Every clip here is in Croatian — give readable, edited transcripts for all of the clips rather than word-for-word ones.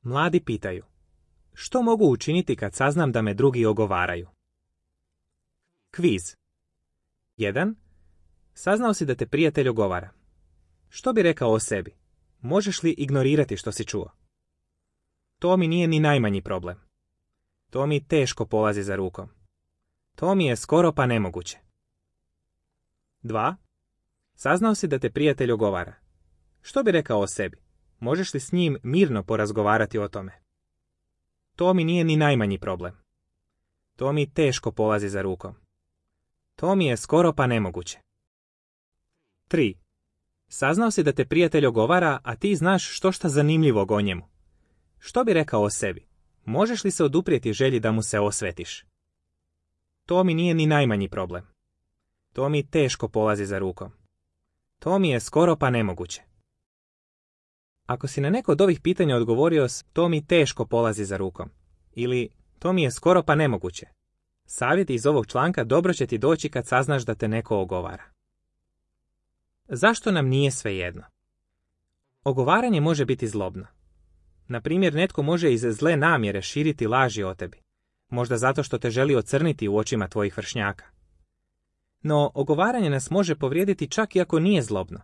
Mladi pitaju: što mogu učiniti kad saznam da me drugi ogovaraju? Kviz. 1. Saznao si da te prijatelj ogovara. Što bi rekao o sebi? Možeš li ignorirati što si čuo? To mi nije ni najmanji problem. To mi teško polazi za rukom. To mi je skoro pa nemoguće. 2. Saznao si da te prijatelj ogovara. Što bi rekao o sebi? Možeš li s njim mirno porazgovarati o tome? To mi nije ni najmanji problem. To mi teško polazi za rukom. To mi je skoro pa nemoguće. 3. Saznao si da te prijatelj ogovara, a ti znaš štošta zanimljivog o njemu. Što bi rekao o sebi? Možeš li se oduprijeti želji da mu se osvetiš? To mi nije ni najmanji problem. To mi teško polazi za rukom. To mi je skoro pa nemoguće. Ako si na neko od ovih pitanja odgovorio s to mi teško polazi za rukom ili to mi je skoro pa nemoguće, savjeti iz ovog članka dobro će ti doći kad saznaš da te neko ogovara. Zašto nam nije svejedno? Ogovaranje može biti zlobno. Na primjer, netko može iz zle namjere širiti laži o tebi, možda zato što te želi ocrniti u očima tvojih vršnjaka. No, ogovaranje nas može povrijediti čak i ako nije zlobno,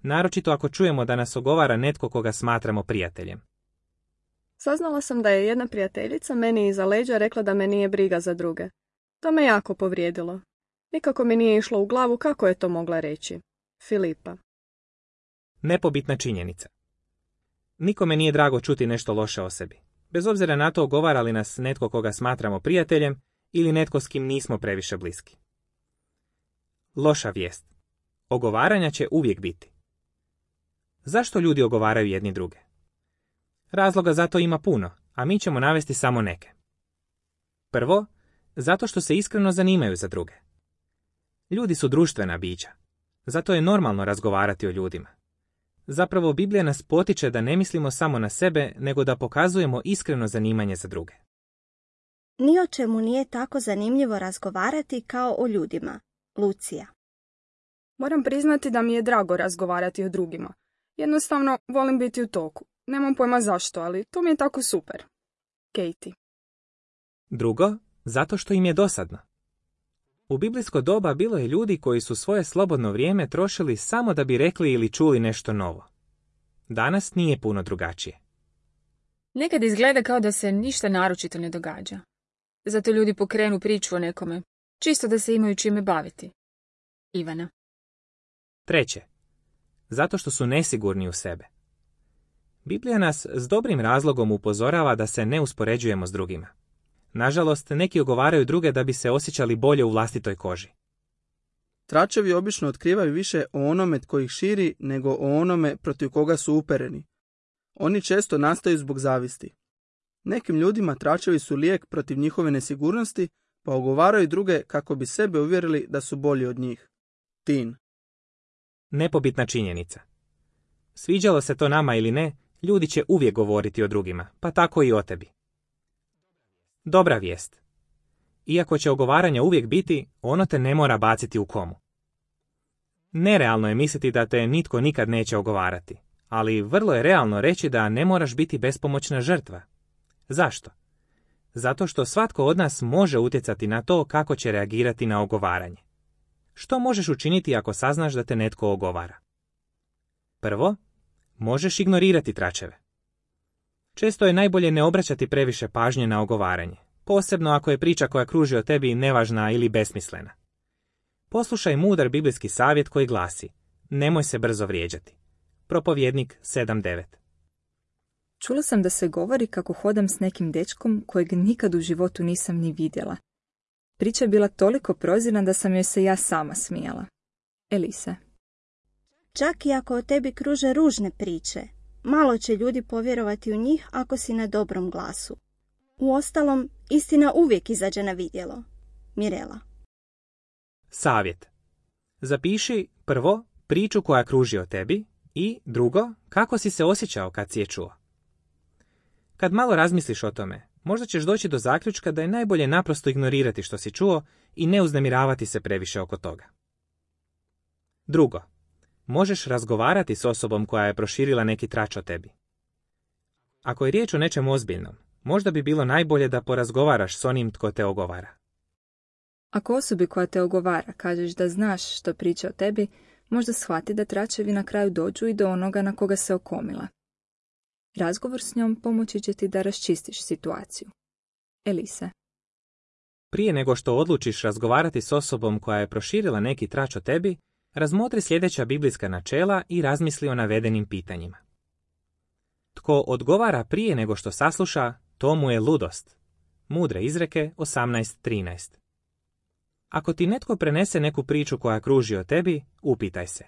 naročito ako čujemo da nas ogovara netko koga smatramo prijateljem. Saznala sam da je jedna prijateljica meni iza leđa rekla da me nije briga za druge. To me jako povrijedilo. Nikako mi nije išlo u glavu kako je to mogla reći. Filipa. Nepobitna činjenica. Nikome nije drago čuti nešto loše o sebi, bez obzira na to ogovara li nas netko koga smatramo prijateljem ili netko s kim nismo previše bliski. Loša vijest. Ogovaranja će uvijek biti. Zašto ljudi ogovaraju jedni druge? Razloga za to ima puno, a mi ćemo navesti samo neke. Prvo, zato što se iskreno zanimaju za druge. Ljudi su društvena bića. Zato je normalno razgovarati o ljudima. Zapravo, Biblija nas potiče da ne mislimo samo na sebe, nego da pokazujemo iskreno zanimanje za druge. Ni o čemu nije tako zanimljivo razgovarati kao o ljudima. Lucija. Moram priznati da mi je drago razgovarati o drugima. Jednostavno, volim biti u toku. Nemam pojma zašto, ali to mi je tako super. Katie. Drugo, zato što im je dosadno. U biblijsko doba bilo je ljudi koji su svoje slobodno vrijeme trošili samo da bi rekli ili čuli nešto novo. Danas nije puno drugačije. Nekad izgleda kao da se ništa naročito ne događa. Zato ljudi pokrenu priču o nekome, čisto da se imaju čime baviti. Ivana. Treće, zato što su nesigurni u sebe. Biblija nas s dobrim razlogom upozorava da se ne uspoređujemo s drugima. Nažalost, neki ogovaraju druge da bi se osjećali bolje u vlastitoj koži. Tračevi obično otkrivaju više o onome tko ih širi nego o onome protiv koga su upereni. Oni često nastaju zbog zavisti. Nekim ljudima tračevi su lijek protiv njihove nesigurnosti, pa ogovaraju druge kako bi sebe uvjerili da su bolji od njih. Tin. Nepobitna činjenica. Sviđalo se to nama ili ne, ljudi će uvijek govoriti o drugima, pa tako i o tebi. Dobra vijest. Iako će ogovaranja uvijek biti, ono te ne mora baciti u komu. Nerealno je misliti da te nitko nikad neće ogovarati, ali vrlo je realno reći da ne moraš biti bespomoćna žrtva. Zašto? Zato što svatko od nas može utjecati na to kako će reagirati na ogovaranje. Što možeš učiniti ako saznaš da te netko ogovara? Prvo, možeš ignorirati tračeve. Često je najbolje ne obraćati previše pažnje na ogovaranje, posebno ako je priča koja kruži o tebi nevažna ili besmislena. Poslušaj mudar biblijski savjet koji glasi: nemoj se brzo vrijeđati. Propovjednik 7.9. Čula sam da se govori kako hodam s nekim dečkom kojeg nikad u životu nisam ni vidjela. Priča je bila toliko prozirna da sam joj se ja sama smijala. Elise. Čak i ako o tebi kruže ružne priče, malo će ljudi povjerovati u njih ako si na dobrom glasu. Uostalom, istina uvijek izađe na vidjelo. Mirela. Savjet. Zapiši prvo priču koja kruži o tebi i drugo, kako si se osjećao kad si je čuo. Kad malo razmisliš o tome, možda ćeš doći do zaključka da je najbolje naprosto ignorirati što si čuo i ne uznemiravati se previše oko toga. Drugo, možeš razgovarati s osobom koja je proširila neki trač o tebi. Ako je riječ o nečem ozbiljnom, možda bi bilo najbolje da porazgovaraš s onim tko te ogovara. Ako osobi koja te ogovara kažeš da znaš što priča o tebi, možda shvati da tračevi na kraju dođu i do onoga na koga se okomila. Razgovor s njom pomoći će ti da raščistiš situaciju. Elise. Prije nego što odlučiš razgovarati s osobom koja je proširila neki trač o tebi, razmotri sljedeća biblijska načela i razmisli o navedenim pitanjima. Tko odgovara prije nego što sasluša, to mu je ludost. Mudre izreke 18:13. Ako ti netko prenese neku priču koja kruži o tebi, upitaj se.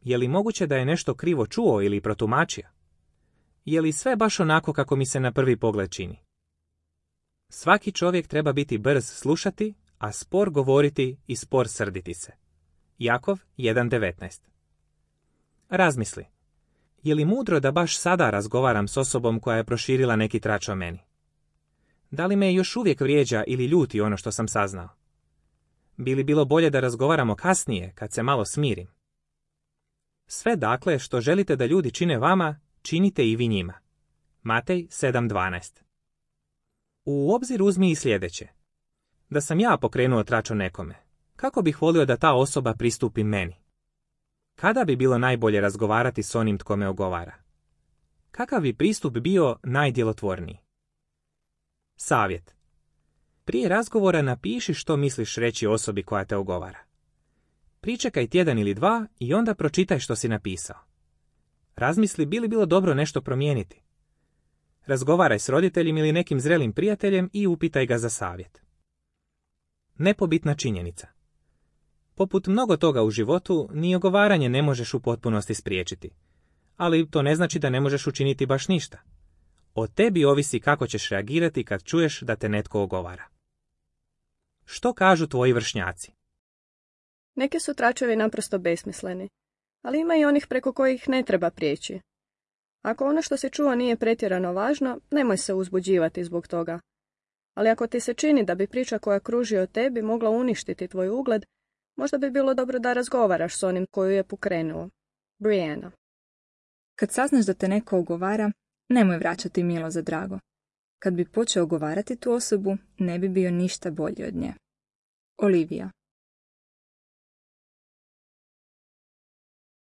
Je li moguće da je nešto krivo čuo ili protumačio? Je li sve baš onako kako mi se na prvi pogled čini? Svaki čovjek treba biti brz slušati, a spor govoriti i spor srditi se. Jakov 1:19. Razmisli. Je li mudro da baš sada razgovaram s osobom koja je proširila neki trač o meni? Da li me još uvijek vrijeđa ili ljuti ono što sam saznao? Bi li bilo bolje da razgovaramo kasnije, kad se malo smirim? Sve dakle što želite da ljudi čine vama, činite i vi njima. Matej 7:12. U obzir uzmi i sljedeće. Da sam ja pokrenuo trač o nekome, kako bih volio da ta osoba pristupi meni? Kada bi bilo najbolje razgovarati s onim tko me ogovara? Kakav bi pristup bio najdjelotvorniji? Savjet. Prije razgovora napiši što misliš reći osobi koja te ogovara. Pričekaj tjedan ili dva i onda pročitaj što si napisao. Razmisli bi li bilo dobro nešto promijeniti. Razgovaraj s roditeljem ili nekim zrelim prijateljem i upitaj ga za savjet. Nepobitna činjenica. Poput mnogo toga u životu, ni ogovaranje ne možeš u potpunosti spriječiti. Ali to ne znači da ne možeš učiniti baš ništa. O tebi ovisi kako ćeš reagirati kad čuješ da te netko ogovara. Što kažu tvoji vršnjaci? Neki su tračevi naprosto besmisleni, ali ima i onih preko kojih ne treba prijeći. Ako ono što si čuo nije pretjerano važno, nemoj se uzbuđivati zbog toga. Ali ako ti se čini da bi priča koja kruži o tebi mogla uništiti tvoj ugled, možda bi bilo dobro da razgovaraš s onim koju je pokrenuo. Brianna. Kad saznaš da te neko ogovara, nemoj vraćati milo za drago. Kad bi počeo ogovarati tu osobu, ne bi bio ništa bolji od nje. Olivia.